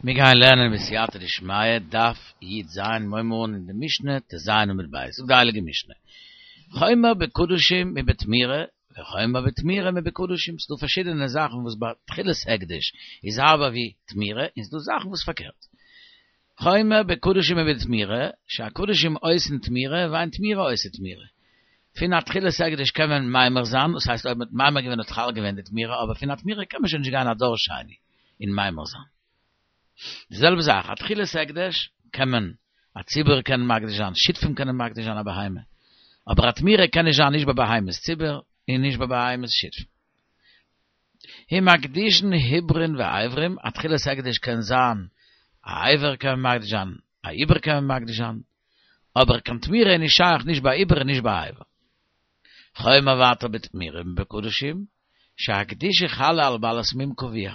מיר גייען לערנען בסייעתא דשמיא, דף י"ז, מיר הייבן אן אין די משנה, ט"ז עמוד ב', זאגט די הייליגע משנה, חומר בקדשים מבתמירה, וחומר בתמירה מבקדשים, ס'דא פארשידענע זאכן וואס ביי תחילת הקדש איז הארבער ווי תמירה, און ס'דא זאכן וואס פארקערט. חומר בקדשים מבתמירה, שהקדשים עושין תמירה ואין תמירה עושה תמירה. פון א תחילת הקדש קען מען ממיר זיין, דאס הייסט אויב מ'האט ממיר געווען האט חל געווען די תמירה, אבער פון א תמירה קען מען שוין נישט גיין א דור שני און ממיר זיין. די זעלבע זאך, א תחילת הקדש קען מען, א ציבור קען מקדיש זיין, שותפים קענען מקדיש זיין א בהמה, אבער א תמירה קען נישט זיין נישט ביי בהמות ציבור און נישט ביי בהמות שותפים. ומקדישין עוברין ואיברים, א תחילת הקדש קען זיין א איבר קען מען מקדיש זיין, א עובר קען מען מקדיש זיין, אבער קיין תמירה איז נישט שייך נישט ביי עובר און נישט ביי איבר. חומר ווייטער בתמירה מבקדשים, שהקדושה חלה על בעלת מום קבוע.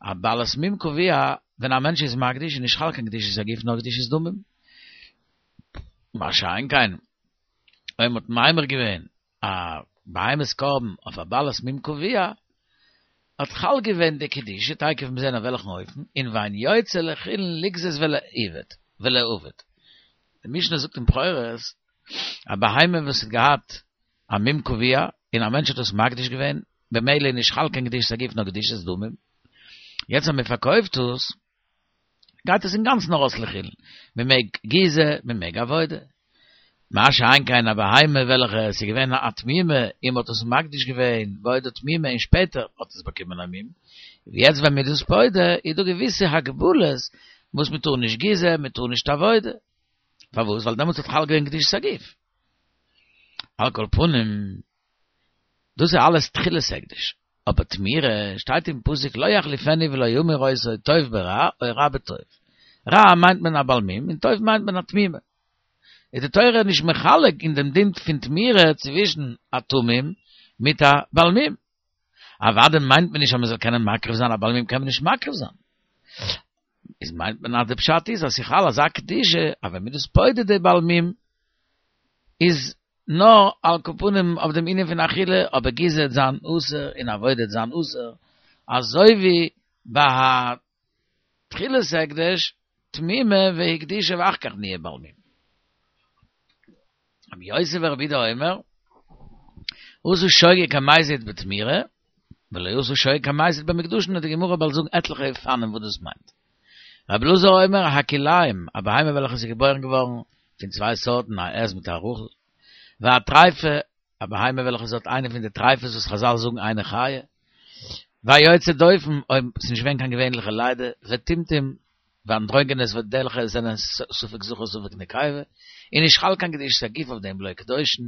א בעלת מום קבוע, ווען א מענטש איז מקדיש איז נישט חל קיין קדושת הגוף נאר קדושת דמים. מה שאין כן, אויב מ'האט ממיר געווען א בהמת קרבן אויף א בעלת מום קבוע, האט חל געווען די קדושה, תיכף מיר זעהן אויף וועלכן אופן, און ואין יוצא לחולין לגזוז ולעבד, ולאבד. די משנה זאגט אין בכורות, א בהמה וואס האט געהאט א מום קבוע, און א מענטש האט עס מקדיש געווען, במילא איז נישט חל קיין קדושת הגוף נאר קדושת דמים, יעצט אז מען פארקויפט עס, גייט עס אינגאנצן ארויס לחולין, מען מעג גיזה, מען מעג עבודה. מה שאין כן א בהמה וועלכע עס איז געווען א תמימה און מען האט עס מקדיש געווען בעודה תמימה און שפעטער האט עס באקומען א מום, יעצט ווען מען איז דאס פודה איז דא געוויסע הגבלות וואס מען טאר נישט גיזה, מען טאר נישט עבודה. פארוואס? ווייל דעמאלטס האט חל געווען קדושת הגוף. על כל פנים, דאס איז אלעס תחילת הקדש. אבער תמירה, שטייט אין פסוק לא יחליפנו ולא ימיר אותו טוב ברע או רע בטוב. רע מיינט מען א בעל מום און טוב מיינט מען א תמימה. איז די תורה נישט מחלק אין דעם דין פון תמירה צווישן א תמים מיט א בעל מום. אוודאי מיינט מען נישט אז מען זאל קענען מקריב זיין, א בעל מום קען מען נישט מקריב זיין. איז מיינט מען אז די פשט איז אז ס'חל אזא קדושה אז ווען מען איז פודה די בעל מום איז נאר על כל פנים אויף דעם ענין פון אכילה, אבער גיזה וועט זיין אסור און עבודה וועט זיין אסור, אזוי ווי ביי א תחילת הקדש תמימה והקדישה ואחר כך נהיה בעל מום. רבי יוסי ברבי יהודה אומר, עשה שוגג כמזיד בתמירה, ולא עשה שוגג כמזיד במוקדשין, וועט די גמרא באלד זאגן עטליכע אופנים וואס דאס מיינט. רבי אלעזר אומר, הכלאים, א בהמה וועלכע איז געבוירן געווארן פון צוויי סארטן, א עז מיט א רחל, והטריפה, א בהמה וועלכע עס האט איינע פון די טריפות וואס חזל זאגן אינה חיה, והיוצא דופן, אויב עס איז נישט געווען קיין געווענליכע לידה, וטומטום, ואנדרוגינוס וועלכע זענען ספק זכר ספק נקבה, איז נישט חל קיין קדושת הגוף אויף דעם ולא קדושין,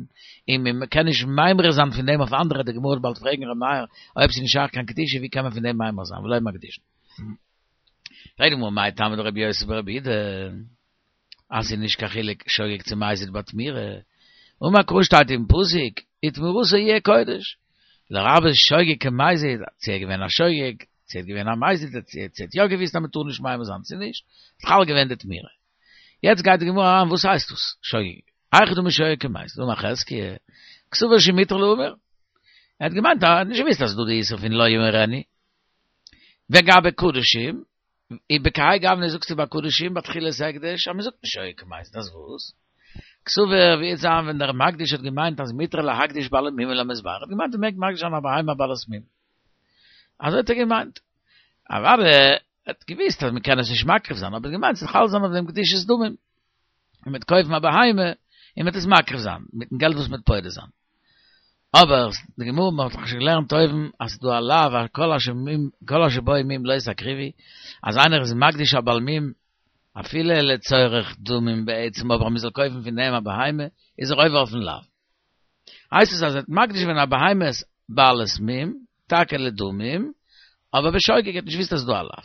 און מען קען נישט ממיר זיין פון דעם אויף אנדערע, די גמרא וועט באלד פרעגן ר' מאיר, אויב ס'איז נישט שייך קיין קדושה ווי קען מען פון דעם ממיר זיין ולא מקדישין. פרעגט די גמרא מאי טעמא דרבי יוסי ברבי יהודה אז ס'איז נישט קיין חילוק שוגג צו מזיד ביי תמירה, אמר קרא שטייט אין פסוק ותמירתו יהיה קודש, לרבות שוגג כמזיד, צו ער איז געווען א שוגג, צו ער איז געווען א מזיד, צו ער האט יא געוויסט אז מ'טאר נישט ממיר זיין צו נישט, איז חל געווען די תמירה. יעצט גייט די גמרא אריין וואס הייסט דאס שוגג? היכי דמי שוגג כמזיד, אמר חזקיה, קסבר שמותר להמיר. ער האט געמיינט, ער האט נישט געוויסט אז ס'איז דא די איסור פון לא ימירנו. וגבי קדשים, ובכהאי גוונא זאגסטו ביי קדשים ביי תחילת הקדש אז מ'זאגט נישט שוגג כמזיד, אז וואס? קסבר ווי וועט זיין ווען דער מקדיש האט געמיינט אז מותר להקדיש בעלי מומין למזבח, ער האט געמיינט מ'מעג מקדיש זיין א בהמה בעלת מום. אזוי האט ער געמיינט. אוודאי ער האט געוויסט אז מ'קען עס נישט מקריב זיין, אבער ער האט געמיינט ס'זאל חל זיין אויף דעם קדושת דמים. און מ'וועט קויפן א בהמה און מ'וועט עס מקריב זיין מיטן געלט וואס מ'וועט פודה זיין. אבער די גמרא מ'האט דאך שוין געלערנט אויבן אז ס'איז דא א לאו אז כל אשר מום כל אשר בו מום לא תקריבו, אז איינער איז מקדיש א בעל מום אפילו לצורך דמים בעצם אבער אז מ'זאל קויפן פון דעם א בהמה איז ער עובר אויפן לאו. הייסט עס אז ער האט מקדיש געווען א בהמה בעלת מום, טאקע לדמים, אבער בשוגג ער האט נישט געוואוסט אז ס'איז דא א לאו.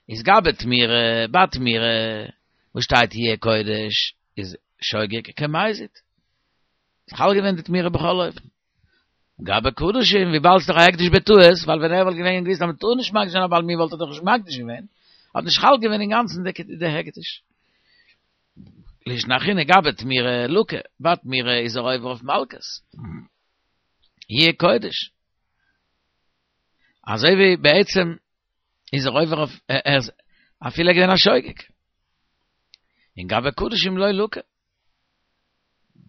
איז גבי תמירה, ביי תמירה, וואס שטייט יהיה קודש, איז שוגג כמזיד. איז חל געווען די תמירה בכל אופן. גבי קדשים, וויבאלד ס'איז דאך א הקדש בטעות, ווייל ווען ער וואלט געווען געוויסט אז מ'טאר נישט מקדיש זיין א בעל מום וואלט ער דאך נישט מקדיש געווען, האט נישט חל געווען אינגאנצן די הקדש. לישנא אחרינא גבי תמירה לקי, ביי תמירה איז ער עובר אויף מלקות. יהיה קודש. אזוי ווי בעצם. איז ער עובר אויף ער איז אפילו געווען א שוגג. און גבי קדשים לא לקי.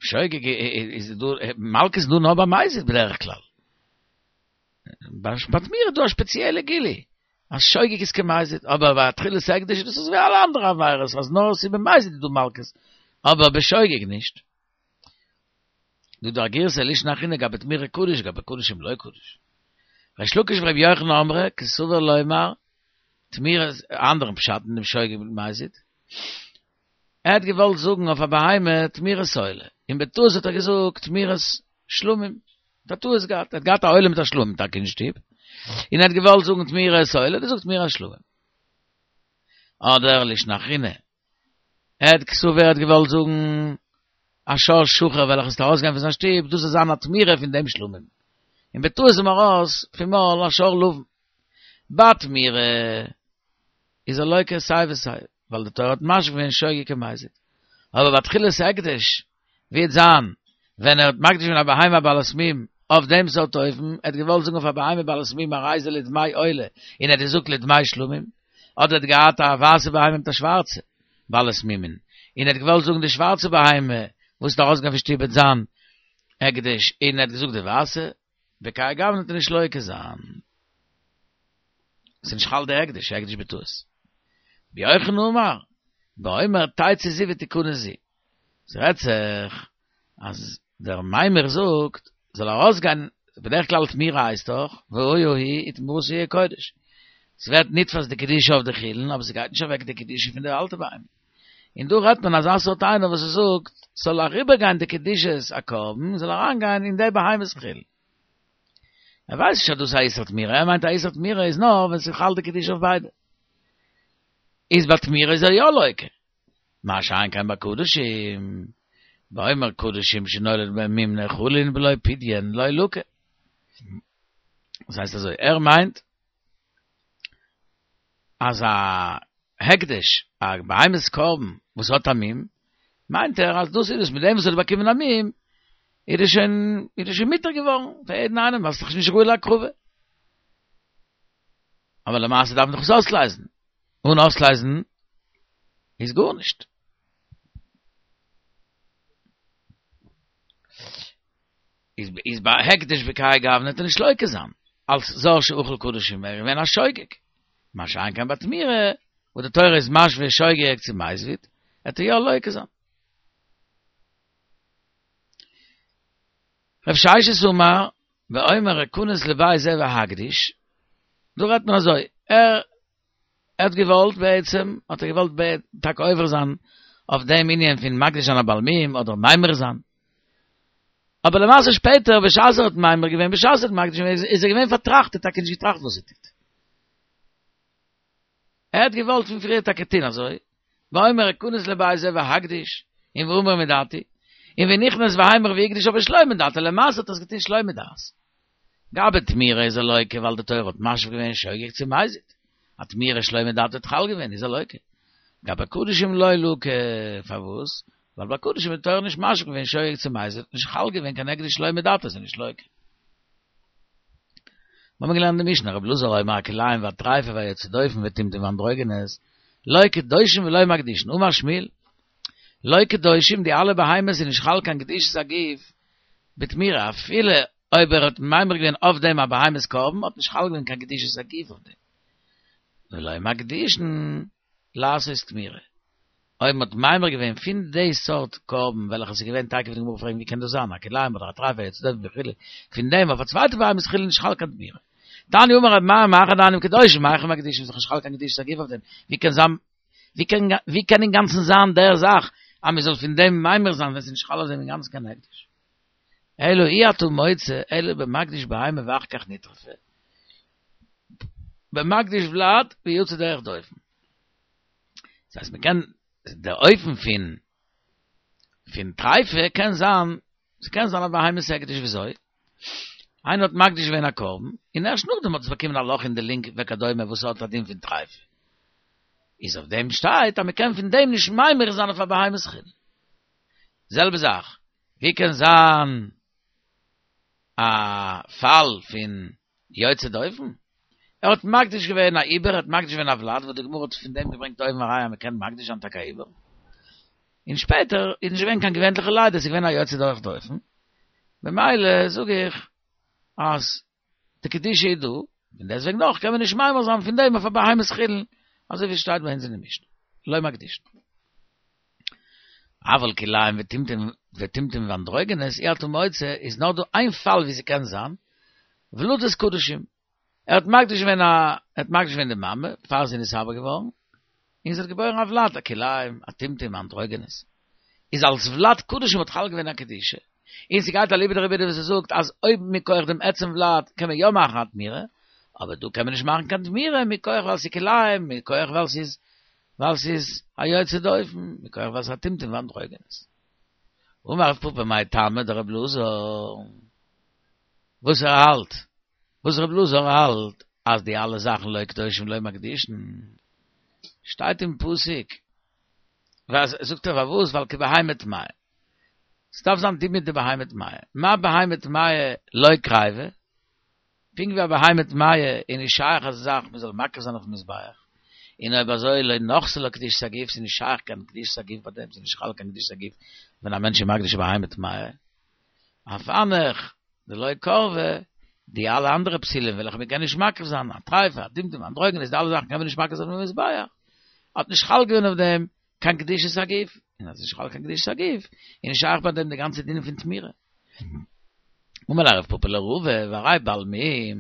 שוגג איז דא מלקות איז דא נאר ביי מזיד בדרך כלל. ביי תמורה איז דא א שפעציעלע גילוי אז שוגג איז כמזיד, אבער ביי תחילת הקדש איז דאס אזויווי אלע אנדערע עבירות אז נאר עס איז במזיד איז דא מלקות, אבער בשוגג נישט. דא דא א גירסא לישנא אחרינא גבי תמורה קדיש גבי קדשים לא קדיש. ריש לקיש ורבי יוחנן אמרי קסבר לומר תמורה א אנדערן פשט אין דעם שוגג מיט מזיד. ער האט געוואלט זאגן אויף א בהמה תמורת עולה, און בטעות האט ער געזאגט תמורת שלמים, האט א טעות געהאט, ער האט געהאט א עולה מיט א שלמים טאקע אין שטוב, און ער האט געוואלט זאגן תמורת עולה, האט ער געזאגט תמורת שלמים. אדער לישנא אחרינא, ער האט קסבר ער האט געוואלט זאגן א שור שחור וועלכע איז ארויסגעגאנגען פון זיין שטוב, דאס זאל זיין א תמורה פון דעם שלמים, און בטעות איז אים ארויס פון מויל א שור לבן. ביי תמורה איז ער לוקה סיי ווי סיי, ווייל די תורה האט משווה געווען שוגג כמזיד. אבער ביי תחילת הקדש, ווי וועט זיין ווען ער האט מקדיש געווען א בהמה בעלת מום אויף דעם סארט אופן, ער האט געוואלט זאגן אויף א בהמה בעלת מום הרי זה לדמי עולה, און ער האט געזאגט לדמי שלמים, אדער ער האט געהאט א ווייסע בהמה מיט א שווארצע בעלת מומין, און ער האט געוואלט זאגן די שווארצע בהמה וואס איז ארויסגעגאנגען פון שטוב וועט זיין הקדש, און ער האט געזאגט די ווייסע, בכהאי גוונא וועט ער נישט לוקה זיין. ס'איז נישט חל די הקדש, הקדש בטעות. רבי יוחנן אמר, באומר תצא זו ותכנס זו. ס'רעדט זיך אז דער מימר זאגט, זאל ארויסגיין, בדרך כלל תמורה הייסט דאך, והיה היא ותמורתה יהיה קודש. ס'ווערט נתפס די קדושה אויף די חולין, אבער ס'גייט נישט אוועק די קדושה פון די אלטע בהמה. און דא רעדט מען אזא סארט איינער וואס ער זאגט, ס'זאל אריבערגיין די קדושת הקרבן, זאל אריינגיין אין די בהמה'ס חולין. ער ווייסט נישט אז דאס איז א איסור תמורה, ער מיינט א איסור תמורה איז נאר ווען ס'איז חל די קדושה אויף ביידע. איז ביי תמורה איז ער יא לוקה. מה שאין כן ביי קדשים, באומר קדשים שנולד בהם מום נאכלין בלא פדיון לא לקה. דאס הייסט אזוי, ער מיינט אז א הקדש, א בהמת קרבן וואס האט א מום, מיינט ער אז דאס איז עס, מיט דעם וואס ער האט באקומען א מום, איז עס שוין, איז עס שוין מותר געווארן פאר יעדן איינעם, ווייל ס'איז דאך נישט ראוי להקרבה. אבער למעשה דארף מען דאך עס אויסלייזן, אן אויסלייזן איז גארנישט. איז איז ביי הקדש בכהאי גוונא וועט ער נישט לוקה זיין, אלס זר שאכל קדשים ער איז געווען א שוגג, מה שאין כן ביי תמורה, וואס די תורה איז משווה שוגג צו מזיד, וועט ער יא לוקה זיין. רב ששת אמר, באומר אכנס לבית זה ואקדיש, דא רעדט מען אזוי, ער ער האט געוואלט בעצם, האט ער געוואלט טאקע עובר זיין אויף דעם ענין פון מקדיש זיין א בעל מום אדער ממיר זיין. אבער למעשה שפעטער בשעת ער האט ממיר געווען, בשעת ער האט מקדיש געווען, איז ער געווען פארטראכט, ער האט טאקע נישט געטראכט וואס ער טוט. ער האט געוואלט פון פריער טאקע טון אזוי, באומר אכנס לבית זה ואקדיש, און ואמיר מדעתי, און ונכנס והמיר והקדיש אבער שלא מדעתו, למעשה האט ער עס געטון שלא מדעת. גבי תמורה איז ער לוקה ווייל די תורה האט משווה געווען שוגג צו מזיד, א תמורה שלא מדעתו האט חל געווען איז ער לוקה. גבי קדשים לא לקי, פארוואס? ווייל ביי קדשים האט די תורה נישט משווה געווען שוגג צו מזיד, האט נישט חל געווען קיין הקדש שלא מדעתו איז ער נישט לוקה. מיר האבן געלערנט די משנה, רבי אלעזר אומר הכלאים והטריפה והיוצא דופן וטומטום ואנדרוגינוס, לא קדושים ולא מקדישין, אמר שמואל, לא קדושים, די אלע בהמות איז נישט חל קיין קדושת הגוף בתמורה, אפילו אויב ער האט ממיר געווען אויף דעם א בהמת קרבן האט נישט חל געווען קיין קדושת הגוף אויף דעם. ולא מקדישין לעשות תמורה. אויב מ'האט ממיר געווען פון די סארט קרבן וועלכע ס'איז געווען טאקע ווי די גמרא פרעגט ווי קען דאס זיין א כלאים אדער א טריפה יוצא דופן וכו' פון דעם אויף א צווייטע בהמת חולין נישט חל קיין תמורה. תניא אמר רבי מאיר מאחר דאינן קדושים מהיכן מקדישין ס'איז נישט חל קיין קדושת הגוף אויף דעם ווי קען זיין ווי קען ווי קען אינגאנצן זיין דער זאך אז מ'זאל פון דעם ממיר זיין ווען ס'איז נישט חל אויף דעם אינגאנצן קיין הקדש. אלא אי אתה מוצא אלא במקדיש בהמה ואחר כך נטרפה, במקדיש ולד ויצא דרך דופן. דאס הייסט מ'קען, דער אופן פון פון טריפה קען זיין, ס'קען זיין א בהמת הקדש וויאזוי? איינער האט מקדיש געווען א קרבן, און ערשט נאכדעם האט עס באקומען א לאך אין די לונג וכדומה וואס האט א דין פון טריפה. איז אויף דעם שטייט אז מ'קען פון דעם נישט ממיר זיין אויף א בהמת חולין. זעלבע זאך, ווי קען זיין א פאל פון יוצא דופן? ער האט מקדיש געווען א עובר, ער האט מקדיש געווען א ולד, וואס די גמרא האט פון דעם געברענגט אויבן א ראיה אז מען קען מקדיש זיין טאקע א עובר. און שפעטער איז נישט געווען קיין געווענליכע לידה, עס איז געווען א יוצא דרך דופן, במילא זאג איך אז די קדושה איז דא, און דעסוועגן נאך קען מען נישט ממיר זיין פון דעם אויף א בהמת חולין, אזוי ווי עס שטייט ביי אונז אין די משנה, לא מקדישין. אבל כלאים וטומטום וטומטום ואנדרוגינוס אי אתה מוצא איז נאר דא איין פאל ווי ס'קען זיין, ולדות קדשים, ער האט מקדיש געווען א, ער האט מקדיש געווען די מאמע פאר זי איז נתעבר געווארן, און זי האט געבוירן א ולד, א כלאים, א טומטום, א אנדרוגינוס. איז אלס ולד קדשים האט חל געווען א קדושה. און ס'גייט אליבא דרבי יהודה וואס ער זאגט אז אויב מכח דעם עצם ולד קען מען יא מאכן א תמורה, אבער דא קען מען נישט מאכן קיין תמורה מכח ווייל ס'איז כלאים, מכח ווייל ס'איז ווייל ס'איז א יוצא דופן, מכח ווייל ס'איז א טומטום ואנדרוגינוס. אמר רב פפא מאי טעמא דרבי אלעזר, וואס ער האלט, וואס רבי אלעזר האלט אז די אלע זאכן לא קדושים לא מקדישין, שטייט אין פסוק, וואס זאגט ער פארוואס ווייל כבהמה טמאה, ס'דארף זיין דומיא דבהמה טמאה, מה בהמה טמאה לא קריבה, פונקט ווי א בהמה טמאה איז נישט שייך אזא זאך מ'זאל מקריב זיין אויפן מזבח, און אויב אזוי לא נחתה לה קדושת הגוף, ס'איז נישט שייך קיין קדושת הגוף ביי דעם, ס'איז נישט חל קיין קדושת הגוף ווען א מענטש איז מקדיש א בהמה טמאה, אף הנך דלא קרבה, די אלע אנדערע פסולים וועלכע מ'קען נישט מקריב זיין, א טריפה, א טומטום, אנדרוגינוס, די אלע זאכן קען מען נישט מקריב זיין אויפן מזבח, האט נישט חל געווען אויף דעם קיין קדושת הגוף, און אז נישט חל קיין קדושת הגוף, איז נישט שייך ביי דעם די גאנצע דינים פון תמורה. אמר ליה רב פפא לרבא, והראי בעל מום,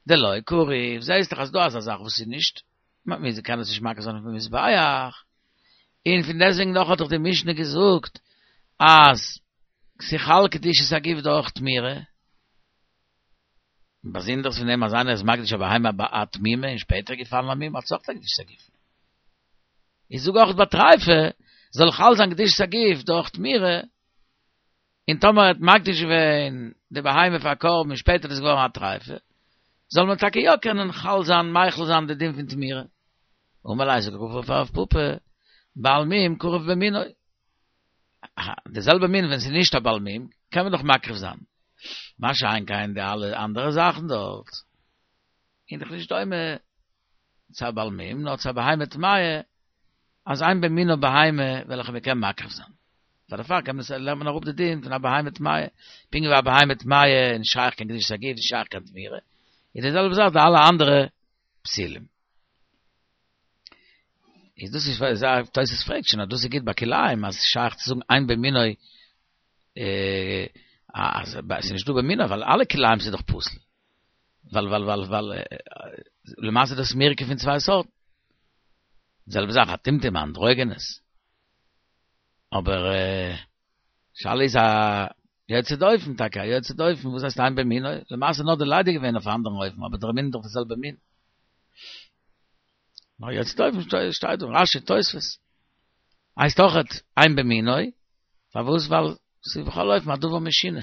דלא קריב, זעהסט דאך אז דא אזא זאך וואס איז נישט, מען קען עס נישט מקריב זיין אויפן מזבח, און פון דעסטוועגן נאך האט דאך די משנה געזאגט אז ס'חל קדושת הגוף דורך תמורה, באזונדערס פון דעם אז איינער איז מקדיש א בהמה א תמימה און שפעטער געפאלן א מום האט עס אויך א קדושת הגוף. איך זאג אויך ביי טריפה זאל חל זיין קדושת הגוף דורך תמורה, און טאמער ער האט מקדיש געווען די בהמה פאר א קרבן און שפעטער איז עס געווארן א טריפה, זאל מען טאקע יא קענען חל זיין מחיל זיין די דין פון תמורה. אמר ליה זאגט רבא פאר רב פפא, בעל מום קרב במינו. די זעלבע מין ווען ס'איז נישט א בעל מום קען מען דאך מקריב זיין. מה שאין כן די אלע אנדערע זאכן דארט. איז דאך נישט דומה צו א בעל מום, נאר צו א בהמה טמאה, אז אין במינו בהמה וועלכע מען קען מקריב זיין. פאר דערפאר קען מען עס, לערנט מען אראפ די דין פון א בהמה טמאה. פונקט ווי א בהמה טמאה איז נישט שייך קיין קדושת הגוף, נישט שייך קיין תמורה, איז די זעלבע זאך די אלע אנדערע פסולים. איז דאס איז וואס תוס' פרעגט שוין אז דאס איז גוט ביי כלאים אז ס'שייך צו זאגן אין במינו אז ס'איז נישט דא במינו ווייל אלע כלאים ס'איז דאך פסול. ווייל ווייל ווייל ווייל למעשה איז דאס מורכב פון צוויי סארטן. די זעלבע זאך א טומטום א אנדרוגינוס. אבער שאלה איז א יוצא דופן טאקע א יוצא דופן וואס הייסט אין במינו? למעשה נאר די לידה געווען אויף א אנדערן אופן אבער דער מין איז דאך די זעלבע מין. נאר יוצא דופן שטייט דא רשי תוספות. הייסט אויכעט אין במינו, פארוואס ווייל ס'איז בכל אופן א דבר משונה.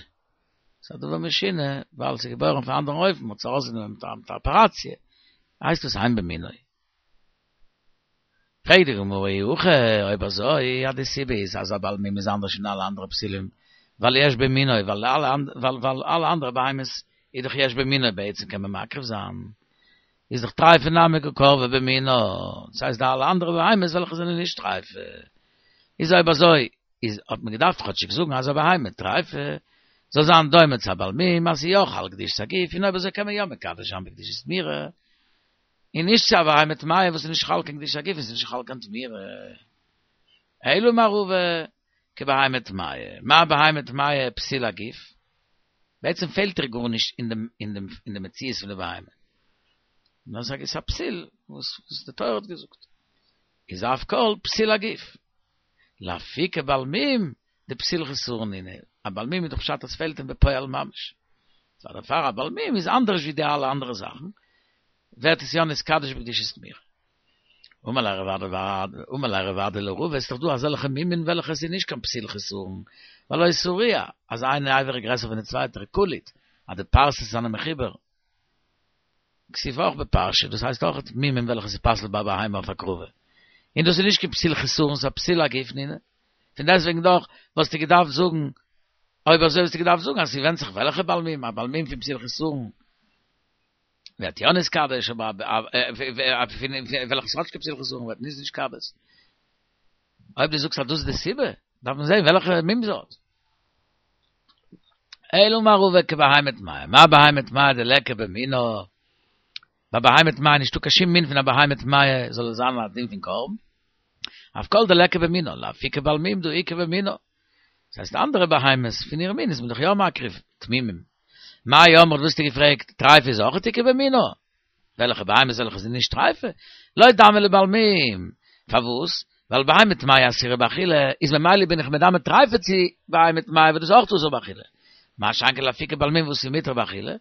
ס'איז א דבר משונה ווייל ס'איז געבוירן אויף א אנדערן אופן, מ'האט עס ארויסגענומען מיט א אפעראציע, הייסט דאס אין במינו. פרעגט די גמרא אי הכי, אויב אזוי אז די סיבה איז אז א בעל מום איז אנדערש פון אלע אנדערע פסולים, ווייל יש במינו, ווייל אלע אנדערע בהמות איז דאך יש במינו בעצם קען מען מקריב זיין, איז דאך טריפה נמי קא קרבה במינה, דאס הייסט די אלע אנדערע בהמות וועלכע זענען נישט טריפה, איז אויב אזוי איז האט מען געדארפט כאטשיג זאגן אז א בהמה טריפה זאל זיין דומה צו א בעל מום אז ס'איז יא חל קדושת הגוף און אויב אזוי קען מען יא מקדש זיין בקדושת תמורה און נישט צו א בהמה טמאה וואס איז נישט חל קיין קדושת הגוף און ס'איז נישט חל קיין תמורה אלא אמר רבא כבהמה טמאה מה בהמה טמאה פסיל הגוף בעצם פעלט איר גארנישט אין דעם אין דעם אין די מציאות פון די בהמה נאר ס'איז א פסיל וואס וואס די תורה האט געזאגט איז אף כל פסיל הגוף לאפוקי בעל מום דפסיל חסרון נינהו, א בעל מום איז דאך פשט אז ס'פעלט אים בפועל ממש, סא דערפאר א בעל מום איז אנדערש ווי די אלע אנדערע זאכן, ווערט עס יא נתקדש בקדושת תמורה. אמר ליה רב אדא בר אמר ליה רב אדא לרבא, ס'איז דאך דא אזעלכע מומין וועלכע עס איז נישט קיין פסיל חסרון, והלא סריע, אז איין אבר איז גרעסער פון די צווייטער, קליט, אז די פרסות זענען מחובר, כתיב אויך בפרשה, דאס הייסט אויך מומים וועלכע ס'פסל'ט ביי בהמה אויף הקרבה. און דאס איז נישט קיין פסיל חסרון ס'איז א פסיל הגוף נינהו. פון דעסטוועגן דאך וואלסטו געדארפט זאגן, אויב אזוי וואלסטו געדארפט זאגן אז ס'ווענדט זיך וועלכע בעל מום, א בעל מום פון פסיל חסרון. ווערט יא נתקדש, אבער פון וועלכע ס'האט נישט קיין פסול וחסרון ווערט נישט נתקדש. אויב דו זאגסט אז דאס איז די סיבה, דארף מען זען וועלכע מום זי האט. אלא אמר רבא כבהמה טמאה, מה בהמה טמאה דליכא במינה, ביי בהמה טמאה נישטא קיין שום מין פון א בהמה טמאה זאל עס זיין א דין פון קרבן, אף כל דליכא במינה, לאפוקי בעל מום דהא איכא במינה. דאס הייסט אנדערע בהמות פון איר מין איז מען דאך יא מקריב תמימים. מאי אמרת וואס האסטו געפרעגט, טריפה איז אויך איכא במינה? וועלכע בהמות וועלכע זענען נישט טריפה? לא דמיא לבעל מום. פארוואס? ווייל בהמה טמאה אסורה באכילה, איז ממילא בין איך מדמה טריפה צו בהמה טמאה וואס דאס איז אויך אסור באכילה. מה שאין כן לאפוקי בעל מום וואס איז מותר באכילה,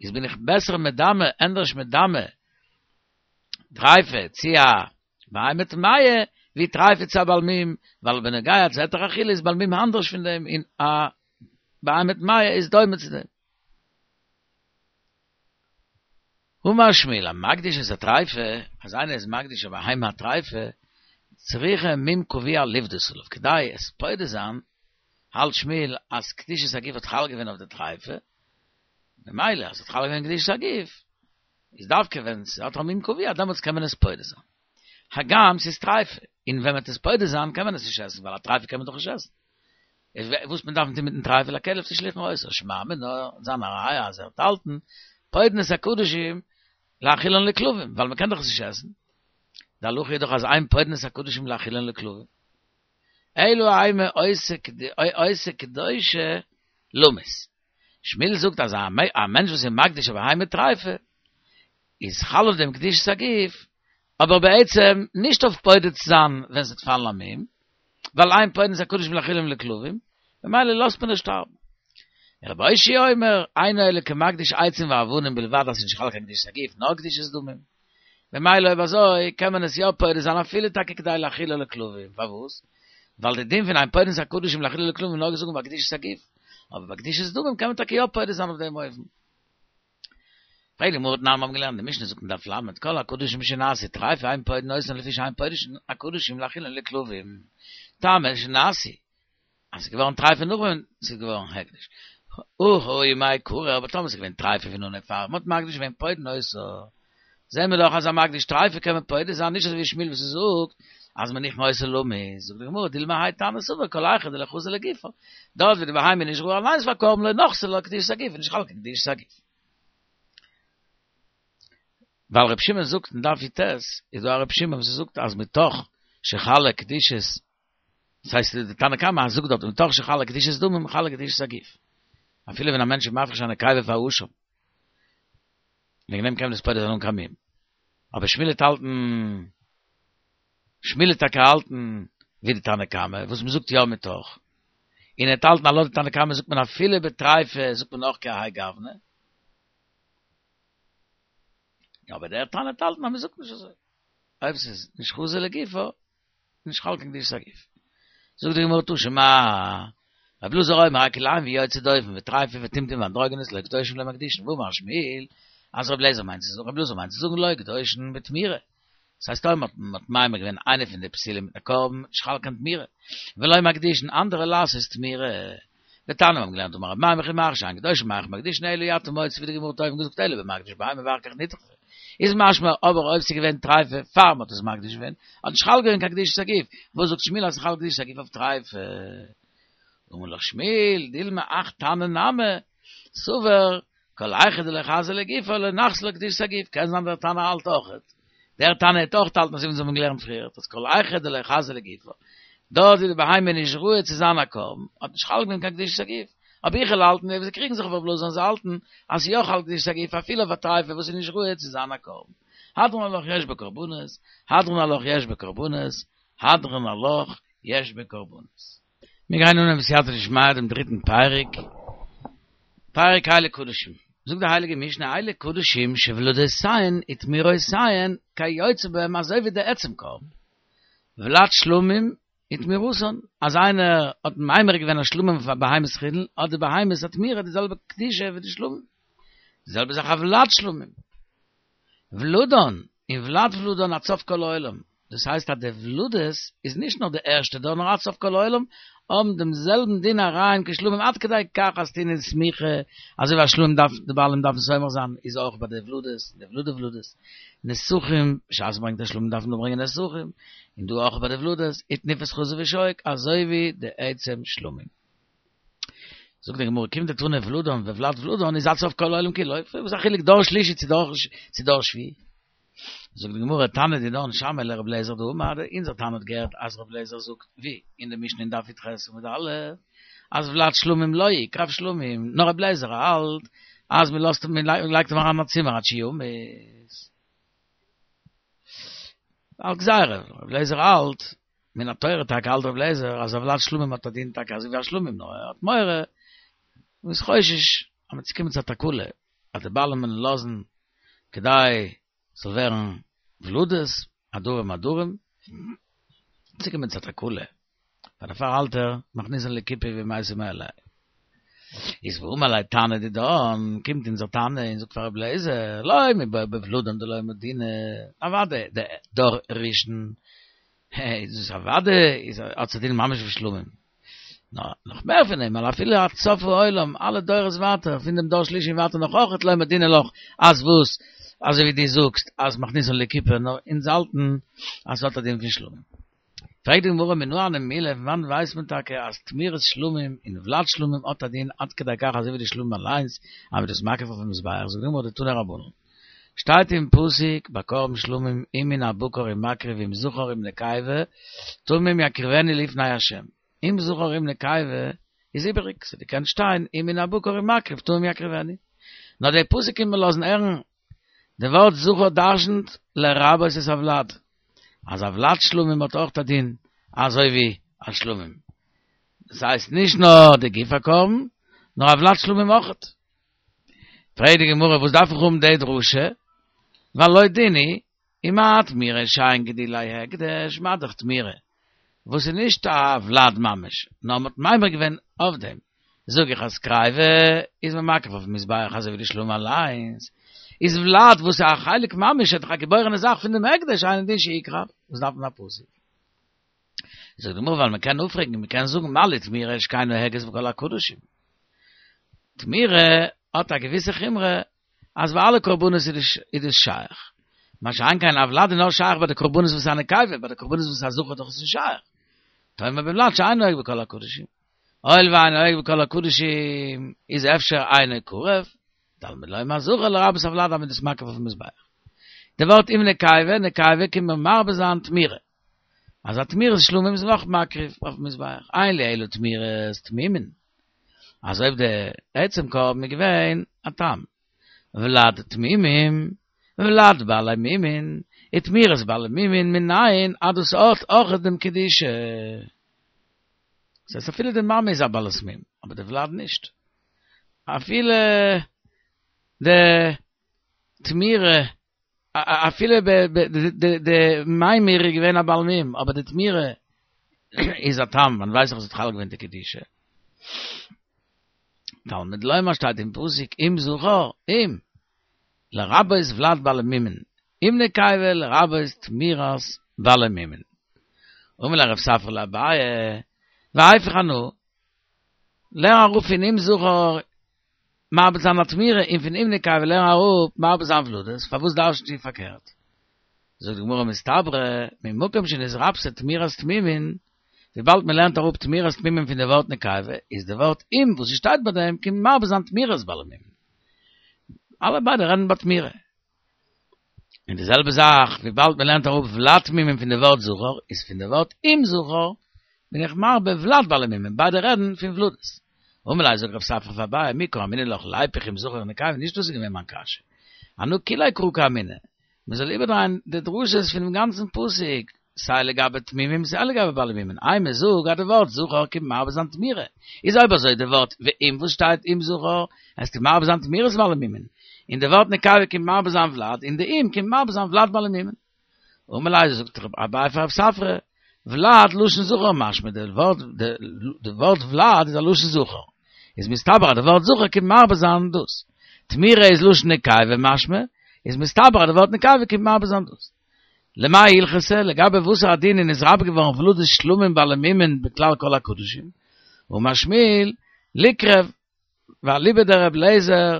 איז בין איך בעסער מדמה, ענדערש מדמה טריפה צו א בהמה טמאה, ווי טריפה צו א בעל מום, ווייל בנוגע צו היתר אכילה איז בעל מום אנדערש פון דעם און א בהמה טמאה איז דומה צו דעם. אמר שמואל, המקדיש את הטריפה, אז איינער איז מקדיש א בהמה א טריפה, צריכה מום קבוע לפדות עליו, כדי עס פודה זיין, האלט שמואל אז קדושת הגוף האט חל געווען אויף די טריפה, ממילא אז ס'האט חל געווען קדושת הגוף, איז דווקא ווען ס'האט א מום קבוע דעמאלטס קען מען עס פודה זיין. הגם ס'איז טריפה, און ווען מ'וועט עס פודה זיין קען מען עס נישט עסן, ווייל א טריפה קען מען דאך נישט עסן. איז וואס מען דארף טון מיטן טריפה לכלב תשליכון אותו, שמע מינה, זיין א ראיה אז ער וועט האלטן, פודין את הקדשים להאכילן לכלבים, ווייל מ'קען דאך עס נישט עסן. די הלכה איז דאך אז אין פודין את הקדשים להאכילן לכלבים. אלא אימא עושה קדושה למות. שמואל זאגט אז א מענטש וואס איז מקדיש א בהמה טריפה איז חל אויף דעם קדושת הגוף, אבער בעצם נישט אויף פודה צו זיין ווען ס'וועט פאלן א מום, ווייל אין פודין את הקדשים להאכילן לכלבים, ממילא לאזט מען עס שטארבן. רבי אושעיא אומר, אינו אלא כמקדיש עצים ואבנים בלבד אז ס'איז נישט חל קיין קדושת הגוף נאר קדושת דמים. ממילא אויב אזוי קען מען עס יא פודה זיין אפילו טאקע כדי להאכילה לכלבים, פארוואס? ווייל די דין פון אין פודין את הקדשים להאכילה לכלבים איז נאר געזאגט ביי קדושת הגוף, אבער ביי קדושת דמים קען מען טאקע יא פודה זיין אויף דעם אופן. פרעגט די גמרא תנן מיר האבן געלערנט די משנה זאגט אין דף ל' כל הקדשים שנעשו טריפה אין פודין אותן לפי שאין פודין הקדשים להאכילן לכלבים טעמא שנעשו אז ס'איז געווארן טרייפה נאך ווען ס'איז געווארן הקדש. הא הא מעיקרא, אבער טאמער ס'איז געווען טרייפה פון אנהייב פאר מ'האט מקדיש געווען פודין אותה. זעהן מיר דאך אז א מקדיש טרייפה קען מען פודה זיין, נישט אזוי ווי שמואל וואס זאגט אז מניחין אותה למות. זאגט די גמרא, דילמא האי תנא סבר כל היכא דלא חזי לגופה. דארט ווי די בהמה איז נישט ראוי אליינס פאר קרבן לא נחתה לה קדושת הגוף איז נישט חל קיין קדושת הגוף. ווייל ר' שמעון זאגט אין דף י"ט, איז דא א ר' שמעון וואס זאגט אז מתוך שחלה קדושת דאס הייסט די תנא קמא זאגט דארט מתוך שחלה קדושת דמים חלה קדושת הגוף. אפילו ווען א מענטש איז מפריש א נקבה פאר אשם. וועגן דעם קען מען עס פודה זיין אן קיין מום. אבער שמואל וועט האלטן, שמואל וועט טאקע האלטן ווי די תנא קמא וואס מען זאגט יא מתוך. און ער וועט האלטן אז לויט די תנא קמא זאגט מען אפילו בטריפה זאגט מען אויך כהאי גוונא. אבער דער תנא וועט האלטן אז מען זאגט נישט אזוי. אויב ס'איז נישט חזי לגופא, נישט חל קיין קדושת הגוף. זאגט די גמרא תא שמע, רבי אלעזר אומר הכלאים ויוצא דופן וטריפה וטומטום ואנדרוגינוס לא קדושים ולא מקדישין, ואמר שמואל, אז רבי אליעזר מיינט צו זאגן, רבי אלעזר מיינט צו זאגן לא קדושין בתמורה. דאס הייסט אויב מ'האט מ'האט ממיר געווען איינע פון די פסולים מיט א קרבן, נישט חל קיין תמורה. ולא מקדישין אנדערע לעשות תמורה. ותניא מיר האבן געלערנט אמר רב מימון וכי מה שאין קדושים מה מקדישין אלא אי אתה מוציא ווי די גמרא האט אויבן געזאגט אלא במקדיש בהמה ואחר כך נטרפה איז משמע אבער אויב ס'איז געווען טריפה פאר מ'האט עס מקדיש געווען האט נישט חל געווען קיין קדושת הגוף וואס זאגט שמואל אז ס'חל קדושת הגוף אויף טריפה אמר לך שמואל דילמא הך תנא נמי סבר כל היכא דלא חזי לגופא לא נחתה לה קדושת הגוף קען זיין דער תנא האלט אויכעט דער תנא האט אויך האלטן אזוי ווי אונז האבן געלערנט פריער אז כל היכא דלא חזי לגופא דארט ווי די בהמה איז נישט ראוי צו זיין א קרבן האט נישט חל געווען קיין קדושת הגוף אבער איך וועל האלטן ווי זיי קריגן זיך אויף רב אלעזר און זיי האלטן אז ס'איז יא חל קדושת הגוף אפילו אויף א טריפה וואס איז נישט ראוי צו זיין א קרבן הדרן עלך יש בקרבנות הדרן עלך יש בקרבנות הדרן עלך יש בקרבנות. מיר גייען אנהייבן בסייעתא דשמיא דעם דריטן פרק, פרק אלו קדשים. זאגט די הייליגע משנה אלו קדשים שוולדותיהן ותמורותיהן כיוצא בהם אזוי ווי די עצם קרבן. ולד שלמים ותמורתן, אז איינער האט ממיר געווען א שלמים פאר בהמת חולין, האט די בהמת התמורה די זעלבע קדושה ווי די שלמים. די זעלבע זאך א ולד שלמים. ולדן און ולד ולדן עד סוף כל העולם, דאס הייסט אז די ולדות איז נישט נאר די ערשטע דור נאר עד סוף כל העולם, האבן דעם זעלבן דין עריים כשלמים עד כדי כך אז טעונין סמיכה, אזוי ווי א שלמים דארף די בעלים דארפן סומך זיין איז אויך ביי די ולדות, די ולדי ולדות, נסכים, בשעת מ'ברענגט א שלמים דארף מען ברענגען נסכים, און דא אויך ביי די ולדות, ותנופת חזה ושוק, אזוי ווי די עצם שלמים. זאגט די גמרא כיון דתנא ולדן וולד ולדן איז עד סוף כל העולם כולו, וואס איז א חילוק דור שלישי צו דור שביעי? זאגט די גמרא תנא דידן שמעיה לר' אליעזר דאמר, אונזער תנא האט געהערט אז ר' אליעזר זאגט ווי אין די משנה אין דף י"ח עמוד א' אז ולד שלמים לא יקרב שלמים, נאר ר' אליעזר האלט אז מען לאזט מען לייגט אים אריין אין א צימער עד שימות. אלס גזירה, ר' אליעזר האלט מן התורה טאקע האלט ר' אליעזר אז א ולד שלמים האט א דין טאקע אזוי ווי א שלמים נאר ער האט מורא און איז חושש אז מ'וועט צוקומען צו א תקלה אז די בעלים וועלן לאזן כדי ס'זאל ווערן ולדות עדרים עדרים צוקומען צו א תקלה פאר דערפאר האלט ער מכניסן לכיפה ומתו מאליה. איז ואמר ליה תנא דידן, קומט אונזער תנא און זאגט פאר רבי אליעזר, לא מיבעיא בולדן דלא מודינא, אוודאי די דור ראשון איז דאס אוודאי איז האט א דין ממש ווי שלמים. נאר נאך מער פון דעם, ווייל אפילו עד סוף העולם, אלע דורות ווייטער, פון דעם דור שלישי און ווייטער נאך אויכעט לא מודינא לך, אז וואס, אזוי ווי דו זאגסט אז מכניסן לכיפה, נאר אונז האלטן אז ס'האט א דין פון שלמים. פרעגט די גמרא מנא הני מילי, פון וואנעט ווייסט מען טאקע אז תמירת שלמים און ולד שלמים האט א דין עד כדי כך אזוי ווי די שלמים אליינס, אז מ'איז דאס מקריב אויפן מזבח, זאגט די גמרא דתנו רבנן. שטייט אין פסוק ביי קרבן שלמים אם מן הבקר אם מקריב אם זכר אם נקבה תמים יקריבנו לפני ה' אם זכר אם נקבה איז איבעריג ס'האט געקענט שטיין אם מן הבקר אם מקריב תמים יקריבנו נאר די פסוק קומט מיר לאזן הערן די ווארט זכר דרשנ'ט לרבות את הוולד אז א ולד שלמים האט אויך א דין אזוי ווי א שלמים דאס הייסט נישט נאר די גוף הקרבן נאר א ולד שלמים אויכעט. פרעגט די גמרא וואס דארף איך האבן די דרשה, והלא דין הוא, ומה תמירה שאין גידולי הקדש, מה דאך תמירה, וואס איז נישט א ולד ממש, נאר מ'האט ממיר געווען אויף דעם, זאג איך אז קריבה איז מען מקריב אויפן מזבח אזוי ווי די שלמים אליינס, איז ולד וואס איז א חלק ממש איז דאך א געבוירענע זאך פון דעם הקדש אינו דין שיקרב, וואס דארף מען א פסוק? זאגט די גמרא ווייל מען קען אפפרעגן מען קען זאגן מה לי תמירה שכן נוהגת בכל הקדשים תמירה האט א געוויסע חומרא אז ביי אלע קרבנות איז דאס שייך מה שאין כן א ולד איז נאר שייך ביי די קרבנות וואס איז א נקבה ביי די קרבנות וואס איז א זכר דאך איז נישט שייך תאמר בולד שאין נוהג בכל הקדשים הואיל ואין נוהג בכל הקדשים איז אפשר אינו קרב תלמוד לומר זכר לרבות הולד אז מ'איז דאס מקריב אויפן מזבח די ווארט אם נקבה נקבה קומט מיר מרבה זיין תמירה אז א תמירת שלמים איז מען אויך מקריב אויפן מזבח, אין לי אלא תמירת תמימין, אז אויב די עצם קרבן איז געווען א תם, ולד תמימים, ולד בעלי מומין, איז תמירת בעלי מומין מנין אז דאס האט אויך דעם קדושה. דאס הייסט אפילו די מאמע איז א בעלת מום, אבער די ולד נישט. אפילו די תמירה אפילו די ממיר איז געווען א בעל מום, אבער די תמירה איז א תם, מען ווייסט דאך אז עס האט חל געווען די קדושה. תלמוד לומר שטייט אין פסוק אם זכר, אם, לרבות ולד בעלי מומין, אם נקבה לרבות תמירת בעלי מומין. אמר ליה רב ספרא לאביי, והיפוך אנא, לערן אראפ פון אם זכר מרבה זיין א תמירה און פון אם נקבה לערן אראפ מרבה זיין ולדות, פארוואס דרש'נט איר פארקערט? זאגט די גמרא מסתברא ממקום שנתרבתה תמירת תמימין, וויבאלד מען לערנט אראפ תמירת תמימין פון די ווארט נקבה, איז די ווארט אם וואס ס'שטייט ביי דעם קומט מרבה זיין תמירת בעלי מומין. אלע ביידע רעדן ביי תמירה. און די זעלבע זאך וויבאלד מען לערנט אראפ ולד תמימים פון די ווארט זכר, איז פון די ווארט אם זכר בין איך מרבה ולד בעלי מומין, ביידע רעדן פון ולדות. אמר ליה זאגט רב ספרא פאר אביי מי קאמינא לך ליפוך אם זכר נקבה, נישט דאס איז געווען מיין קשיא. אנא כוליה קרא קאמינא, מען זאל איבערדרייען די דרשות פונעם גאנצן פסוק, סיי לגבי תמימים סיי לגבי בעלי מומין, אימא זאג אז די ווארט זכר קומט מרבה זיין תמירה, איז אויב אזוי די ווארט ואם וואס שטייט אם זכר, עס קומט מרבה זיין תמירת בעלי מומין, און די ווארט נקבה קומט מרבה זיין ולד, און די אם קומט מרבה זיין ולד בעלי מומין. אמר ליה זאגט אביי פאר רב ספרא, ולד לשון זכר משמע, די ווארט די ווארט ולד איז א לשון זכר, איז מסתבר אז די ווארט זכר קומט מרבה זיין דאס, תמירה איז לשון נקבה משמע, איז מסתבר אז די ווארט נקבה קומט מרבה זיין דאס. למאי הלכתא, לגבי וואסערע דין איז נתרבה געווארן ולדות שלמים בעלי מומין בכלל כל הקדשים? אמר שמואל, ליקרב, ואליבא דר' אליעזר,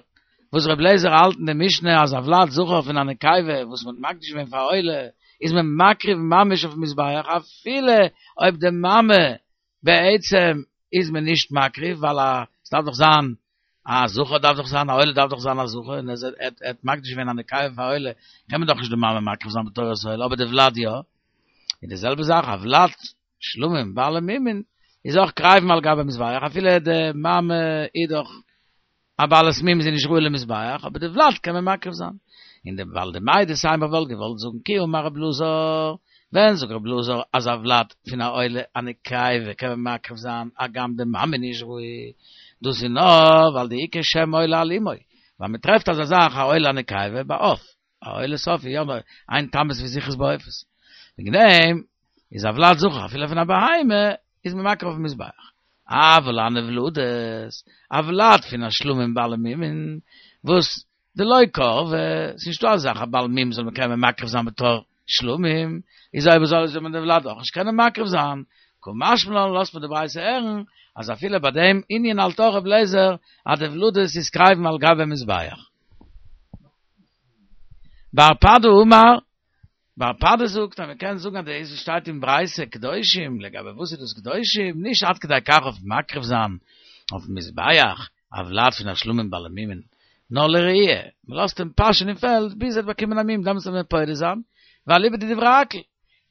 וואס ר' אליעזר האלט אין די משנה אז א ולד זכר פון א נקבה וואס מ'האט מקדיש געווען פאר עולה איז מען מקריב ממש אויפן מזבח אפילו אויב די מאמע בעצם איז מען נישט מקריב ווייל א ס'דארף דאך זיין א זכר דארף דאך זיין א עולה דארף דאך זיין א זכר און אז ער האט מקדיש געווען א נקבה פאר עולה קען מען דאך נישט די מאמע מקריב זיין בתורת עולה אבער די ולד יא און די זעלבע זאך א ולד שלמים בעלי מומין איז אויך קריבין על גבי מזבח אפילו די מאמע איז דאך א בעלת מום איז נישט ראוי למזבח אבער די ולד קען מען מקריב זיין און די ווייל דמאי דתימא וואלט געוואלט זאגן כי אמר רב אלעזר ווען זאגט רב אלעזר אז א ולד פון א עולה א נקבה קען מען מקריב זיין הגם די מאמע איז נישט ראוי דאס איז נאר ווייל דאיכא שם עולה על אמו ווייל מען טרעפט אזא זאך א עולה א נקבה ביי עוף א עולת עוף יא אין תמות וזכרות בעופות. וועגן דעם איז א ולד זכר אפילו פון א בהמה איז מען מקריב אויפן מזבח. אבל הני ולדות, א ולד פון א שלמים בעלי מומין, וואס דלא קרבי, ס'איז נישטא אזא זאך א בעל מום זאל מען קענען מקריב זיין בתור שלמים, איז אויב אזוי זאל מען די ולד אויך נישט קענען מקריב זיין, קא משמע לן לאזט מען די ברייתא הערן אז אפילו ביי דעם ענין האלט אויך ר' אליעזר אז די ולדות איז קריבין על גבי מזבח. בר פדא אמר, בר פדא זאגט אז מען קען זאגן אז דאס וואס שטייט אין ברייתא קדושים, לגבי וואס איז דאס קדושים, נישט עד כדי כך אויף מקריב זיין אויפן מזבח א ולד פון א שלמים בעלי מומין, נאר לרעייה, מען לאזט אים פאשען אין פעלד ביז ער וועט באקומען א מום, דעמאלטס וועט מען פודה זיין, ואליבא דדברי הכל.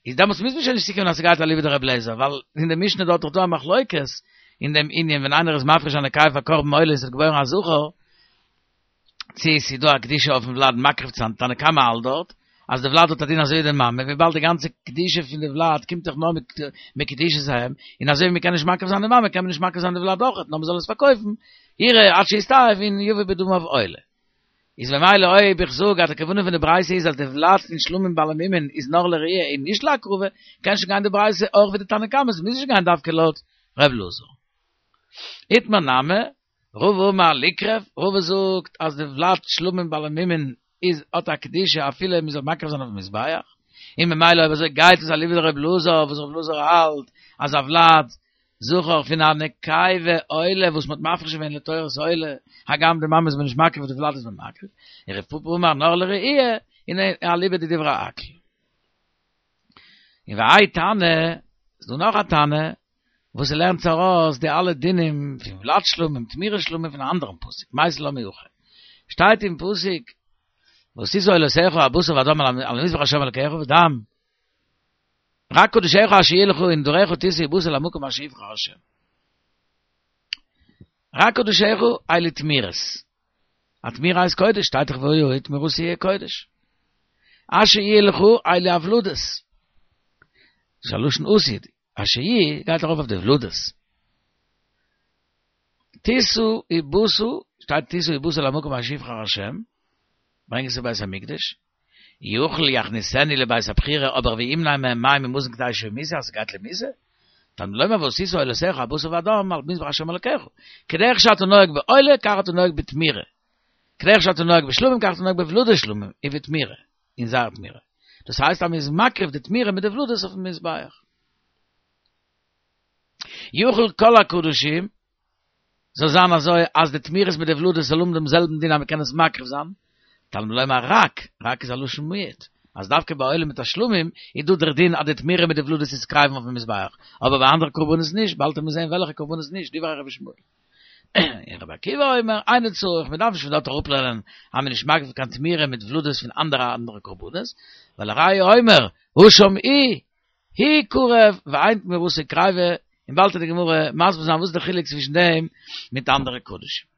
איז דעמאלטס מוז מען שוין נישט צוקומען אז ס'גייט אליבא דר' אליעזר, ווייל אין די משנה דארט איז דא א מחלוקת אין דעם ענין ווען איינער איז מפריש א נקבה פאר קרבן עולה און ס'האט געבוירן א זכר, צו ס'איז דא א קדושה אויפן ולד מקריב צו זיין, תנא קמא האלט דארט אז די ולד האט א דין אזוי ווי די מאמע, וויבאלד די גאנצע קדושה פון די ולד קומט דאך נאר מיט קדושת האם, און אזוי ווי מ'קען נישט מקריב זיין די מאמע קען מען נישט מקריב זיין די ולד אויכעט, נאר מ'זאל עס פארקויפן, ירעה עד שיסתאב און יביא בדמיו עולה. איז ממילא אויב איך זאג אז די כוונה פון די ברייתא איז אז די ולד פון שלמים בעלי מומין איז נאר לרעייה און נישט להקרבה, קען שוין גיין די ברייתא אויך ווי די תנא קמא, ס'מוז נישט גיין דווקא לויט ר' אלעזר. איתמר נמי, רבא אמר ליקרב, רבא זאגט אז די ולד שלמים בעלי מומין איז האט א קדושה אפילו מען זאל מקריב זיין אויפן מזבח, און ממילא אויב אזוי גייט עס אליבא דר' אלעזר וואס ר' אלעזר האלט אז א ולד זכר פון א נקבה עולה וואס מען האט מפריש געווען לתורת עולה, הגם די מאמע איז מען נישט מקריב די ולד איז מען מקריב, און רב פפא אמר נאר לראייה, און אליבא דדברי הכל. און והאי תנא, איז דא נאך א תנא, וואס ער לערנט ארויס די אלע דינים פון ולד שלמים, תמירת שלמים פון א אנדערן פסוק, מייתי לה מהכא. שטייט אין פסוק, ועשית עולותיך הבשר והדם על מזבח השם אלקיך ודם, רק קדשיך אשר יהיו לך ונדריך תשא ובאת אל המקום אשר יבחר השם. רק קדשיך אלו תמירות. א תמירה איז קודש, שטייט דאך והיה תמורתי יהיה קודש. אשר יהיה לך אלו הוולדות. דאס איז א לשון עתיד. אשר יהיה גייט ארויף אויף די ולדות. תשא ובאת, שטייט תשא ובאת אל המקום אשר יבחר השם, ברענג עס אין בית המקדש. יכול יכניסנו לבית הבחירה, אבער וימנע מהם מים ומזון כדי שימותו, אז ס'גייט למיתה. תלמוד לומר ועשית עולותיך הבשר והדם על מזבח השם אלקיך. כדרך שאתה נוהג בעולה, כך אתה נוהג בתמירה. כדרך שאתה נוהג בשלמים, כך אתה נוהג בוולדות שלמים, ובתמירה, אין זייער תמירה. דאס הייסט אז מ'איז מקריב די תמירה מיט די ולדות אויפן מזבח. יכול כל הקדשים, זאל זיין אזוי אז די תמירות מיט די ולדות זאל האבן דעם זעלבן דין אז מ'קען עס מקריב זיין, תלמוד לומר רק, רק איז א לשון מיעוט, אז דווקא ביי עולה מיט א שלמים איז דא דער דין אז די תמירה מיט די ולדות איז קריבין אויפן מזבח, אבער ביי אנדערע קרבנות נישט, באלד וועט מען זען וועלכע קרבנות נישט, דברי רבי ישמעאל. און רבי עקיבא אומר, אינו צריך, מ'דארף נישט פון דארט אראפלערנען אז מ'איז נישט מקריב קיין תמירה מיט ולדות פון אנדערע אנדערע קרבנות, ולראיה אומר, הואשם הוא, הוא קרב ואין תמורתו קריבה, און באלד וועט די גמרא מסביר זיין וואס איז די חילוק צווישן דעם מיט אנדערע קדשים.